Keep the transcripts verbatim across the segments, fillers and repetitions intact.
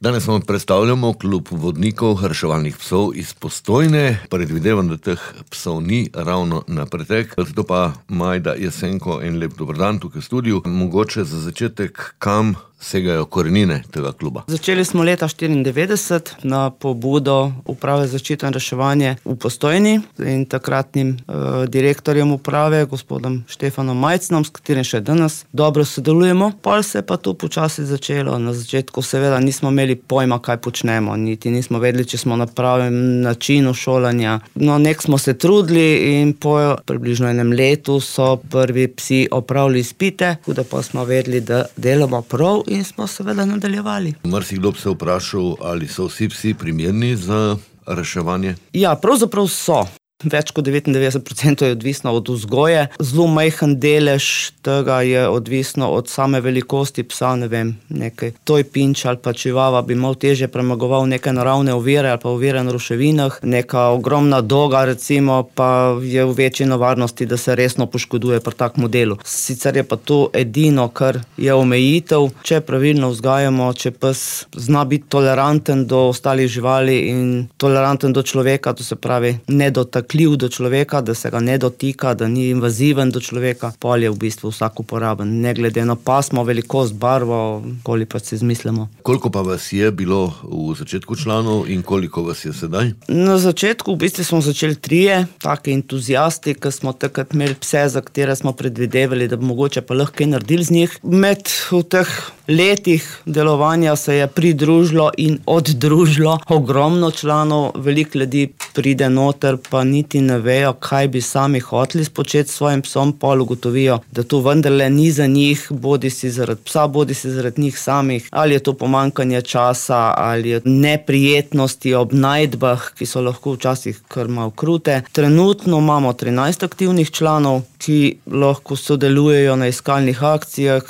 Danes vam predstavljamo klub vodnikov reševalnih psov iz Postojne. Predvidevam, da teh psov ni ravno na pretek. Zato pa Majda Jesenko, en lep dober dan tukaj v studiu. Mogoče za začetek, kam segajo korenine tega kluba? Začeli smo leta štiriindevetdeset na pobudo Uprave za zaščito in reševanje v Postojni in takratnim eh, direktorjem uprave, gospodom Štefanom Majcnom, s katerim še danes dobro sodelujemo. Pol se je pa to počasi začelo. Na začetku seveda nismo imeli pojma, kaj počnemo, niti nismo vedeli, če smo na pravem načinu šolanja. No, nek smo se trudili in po približno enem letu so prvi psi opravili izpite, da pa smo vedeli, da delamo prav in smo seveda nadaljevali. Marsikdo bi se vprašal, ali so vsi psi primerni za reševanje? Ja, pravzaprav so. Več kot devetindevetdeset procentov je odvisno od vzgoje. Zelo majhen delež tega je odvisno od same velikosti psa, ne vem, nekaj toj pinč ali pa čivava bi malo težje premagoval neke naravne ovire ali pa ovire na ruševinah. Neka ogromna doga recimo pa je v večji nevarnosti, da se resno poškoduje pri takem delu. Sicer je pa to edino, kar je omejitev. Če pravilno vzgajamo, če pes zna biti toleranten do ostalih živali in toleranten do človeka, to se pravi nedotakljiv do človeka, da se ga ne dotika, da ni invaziven do človeka, pol je v bistvu vsak uporaben, ne glede na pasmo, velikost, barvo, koliko pa si izmislimo. Koliko pa vas je bilo v začetku članov in koliko vas je sedaj? Na začetku v bistvu smo začeli trije, taki entuzijasti, ki smo takrat imeli pse, za katere smo predvidevali, da bi mogoče pa lahko kaj naredili z njih. Med v teh letih delovanja se je pridružilo in oddružilo ogromno članov, veliko ljudi pride noter, pa niti ne vejo, kaj bi sami hoteli spočeti s svojim psom, pol ugotovijo, da to vendarle ni za njih, bodi si zaradi psa, bodi si zaradi njih samih, ali je to pomanjkanje časa, ali je neprijetnosti ob najdbah, ki so lahko včasih kar malo krute. Trenutno imamo trinajst aktivnih članov, ki lahko sodelujejo na iskalnih akcijah.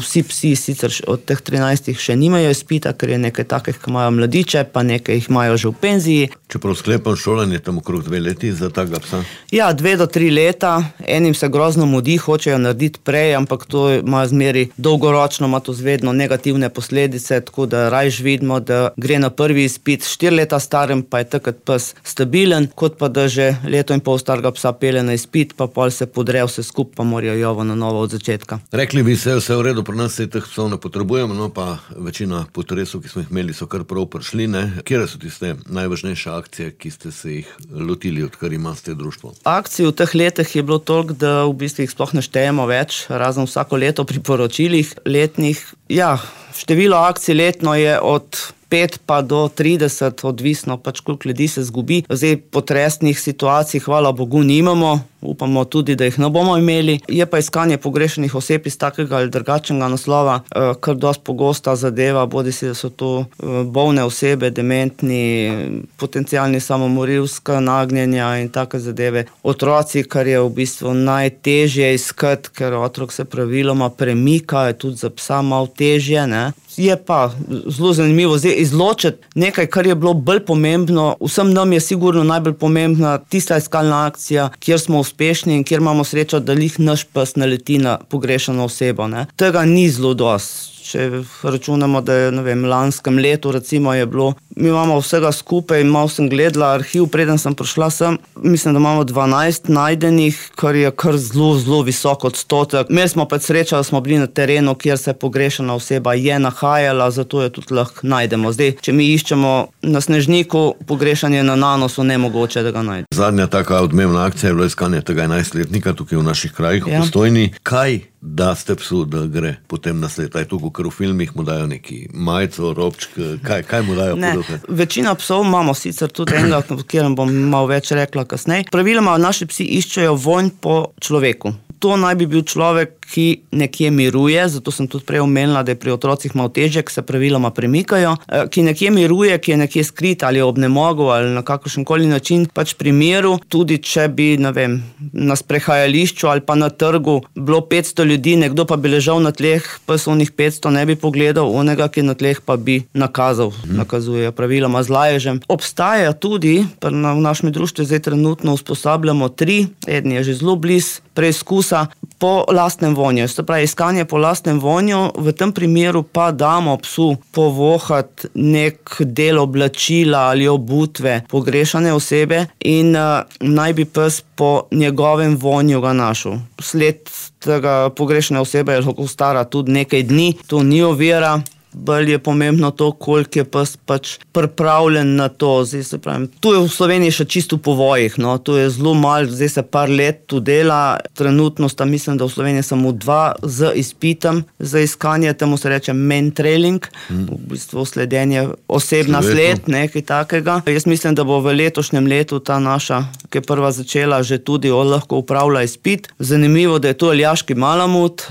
Vsi psi sicer od teh trinajstih še nimajo izpita, ker je nekaj takih, ki imajo mladiče, pa nekaj jih imajo že v penziji. Čeprav sklepam, šolanje tam okrog dve leti za takega psa? Ja, dve do tri leta. Enim se grozno mudi, hočejo narediti prej, ampak to ima zmeri dolgoročno, ima to zvedno negativne posledice, tako da rajš vidimo, da gre na prvi izpit štiri leta starem, pa je takrat pes stabilen, kot pa da že leto in pol starega psa pele na izpit, pa pol se podre vse skup, pa morajo jovo na novo od začetka. Rekli bi se, vse v redu, pri nas se teh psov ne potrebujemo, no pa večina potresov, ki smo jih imeli, so kar prav prišli, ne? Kjere so tiste najvažnejše akcije, ki ste se jih lotili, odkar imate društvo? Akcij v teh letih je bilo toliko, da v bistvu jih sploh ne štejemo več, razen vsako leto pri poročilih letnih. Ja, število akcij letno je od pet pa do trideset, odvisno pač koliko ljudi se zgubi. Zdaj potresnih situacij, hvala Bogu, nimamo, upamo tudi, da jih ne bomo imeli. Je pa iskanje pogrešenih oseb iz takega ali drugačnega naslova, kar dosti pogosta zadeva, bodi si, da so to bolne osebe, dementni, potencialni samomorilska nagnjenja in take zadeve. Otroci, kar je v bistvu najtežje iskati, ker otrok se praviloma premika, je tudi za psa malo težje, ne. Je pa zelo zanimivo zdaj izločiti nekaj, kar je bilo bolj pomembno. Vsem nam je sigurno najbolj pomembna tista iskalna akcija, kjer smo uspešni in kjer imamo srečo, da lih naš pes naleti na pogrešano osebo, ne. Tega ni zelo dosti. Če računamo, da je, ne vem, lanskem letu recimo je bilo, mi imamo vsega skupaj, malo sem gledala arhiv, preden sem prišla sem, mislim, da imamo dvanajst najdenih, kar je kar zelo, zelo visok odstotek. Imeli smo pa srečo, da smo bili na terenu, kjer se pogrešana oseba je nahajala, zato jo tudi lahko najdemo. Zdaj, če mi iščemo na Snežniku, pogrešanje na Nanosu, nemogoče, da ga najdemo. Zadnja taka odmevna akcija je bilo iskanje tega enajstletnika tukaj v naših krajih, v Postojni. Kaj da ste psu, da gre potem na sled? Je to, ker v filmih mu dajo neki majico, robčk, kaj, kaj mu dajo? Ne, večina psov imamo sicer tudi enega, o katerem bom malo več rekla kasneje. Praviloma naši psi iščejo vonj po človeku. To naj bi bil človek, ki nekje miruje, zato sem tudi prej omenila, da je pri otrocih malo težje, ki se praviloma premikajo, ki nekje miruje, ki je nekje skrit ali ob nemogu ali na kakršenkoli način, pač pri miru, tudi če bi, ne vem, na sprehajališču ali pa na trgu bilo petsto ljudi, nekdo pa bi ležal na tleh, pes onih petsto ne bi pogledal, onega, ki na tleh pa bi nakazal, hmm. nakazujejo praviloma z laježem. Obstaja tudi, v našem društvu zdaj trenutno usposabljamo tri, eden je že zelo bliz preizkusa po lastnem vonju. Se pravi, iskanje po lastnem vonju, v tem primeru pa damo psu povohati nek del oblačila ali obutve pogrešane osebe in uh, naj bi pes po njegovem vonju ga našel. Sled tega pogrešane osebe je lahko stara tudi nekaj dni, to ni ovira. Bolj je pomembno to, koliko je pes pač pripravljen na to. Zdaj se pravim, tu je v Sloveniji še čisto po povojih, no, tu je zelo malo, zdaj se par let tu dela, trenutno sta mislim, da v Sloveniji samo dva z izpitom za iskanje, temu se reče mentrailing, hmm. v bistvu sledenje oseb na sled, nekaj takega. Jaz mislim, da bo v letošnjem letu ta naša, ki je prva začela, že tudi lahko upravlja izpit. Zanimivo, da je to aljaški malamut,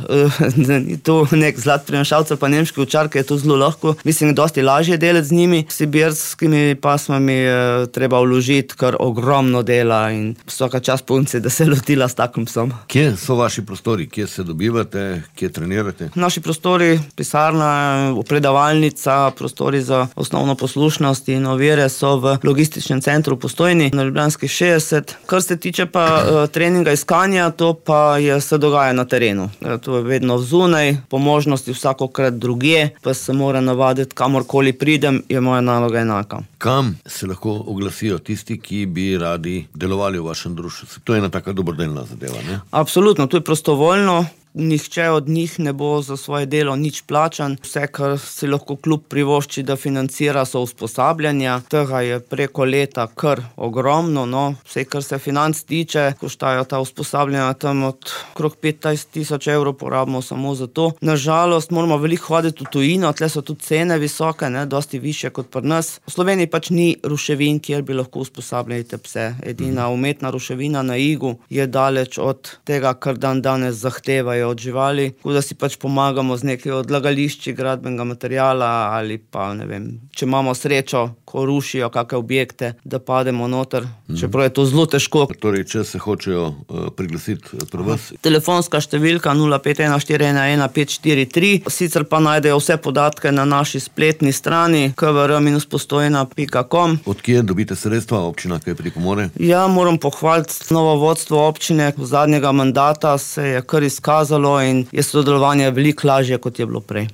da ni to nek zlat prinašalcev, pa nemški ovčar, ki je to zelo lahko. Mislim, dosti lažje delati z njimi. S sibirskimi pasmami je treba vložiti kar ogromno dela in vsaka čast punci, da se lotila s takim psom. Kje so vaši prostori? Kje se dobivate? Kje trenirate? Naši prostori, pisarna, predavalnica, prostori za osnovno poslušnost in ovire so v logističnem centru v Postojni na Ljubljanski šestdeset. Kar se tiče pa uh, treninga iskanja, to pa je, se dogaja na terenu. To je vedno vzunaj, po možnosti vsakokrat drugje, pa se mora navaditi, kamorkoli pridem, je moja naloga enaka. Kam se lahko oglasijo tisti, ki bi radi delovali v vašem društvu? To je ena taka dobrodelna zadeva, ne? Absolutno, to je prostovoljno. Nihče od njih ne bo za svoje delo nič plačan. Vse, kar si lahko klub privošči, da financira, so usposabljanja. Tega je preko leta kar ogromno, no. Vse, kar se financ tiče, koštajo ta usposabljanja tam od okrog petnajst tisoč evrov porabimo samo za to. Nažalost, moramo veliko hoditi v tujino, tle so tudi cene visoke, ne, dosti višje kot pri nas. V Sloveniji pač ni ruševin, kjer bi lahko usposabljali te pse. Edina umetna ruševina na Igu je daleč od tega, kar dan danes zahtevajo od živali, tako da si pač pomagamo z nekaj odlagališči gradbenega materiala ali pa, ne vem, če imamo srečo, ko rušijo kakšne objekte, da pademo noter, čeprav je to zelo težko. Torej, če se hočejo uh, priglasiti pri vas? Telefonska številka nula pet ena štiri ena ena pet štiri tri, sicer pa najdejo vse podatke na naši spletni strani k v r postojna pika com. Od kje dobite sredstva, občina kaj pripomore? Ja, moram pohvaliti novo vodstvo občine. V zadnjega mandata se je kar izkazalo in je sodelovanje veliko lažje, kot je bilo prej.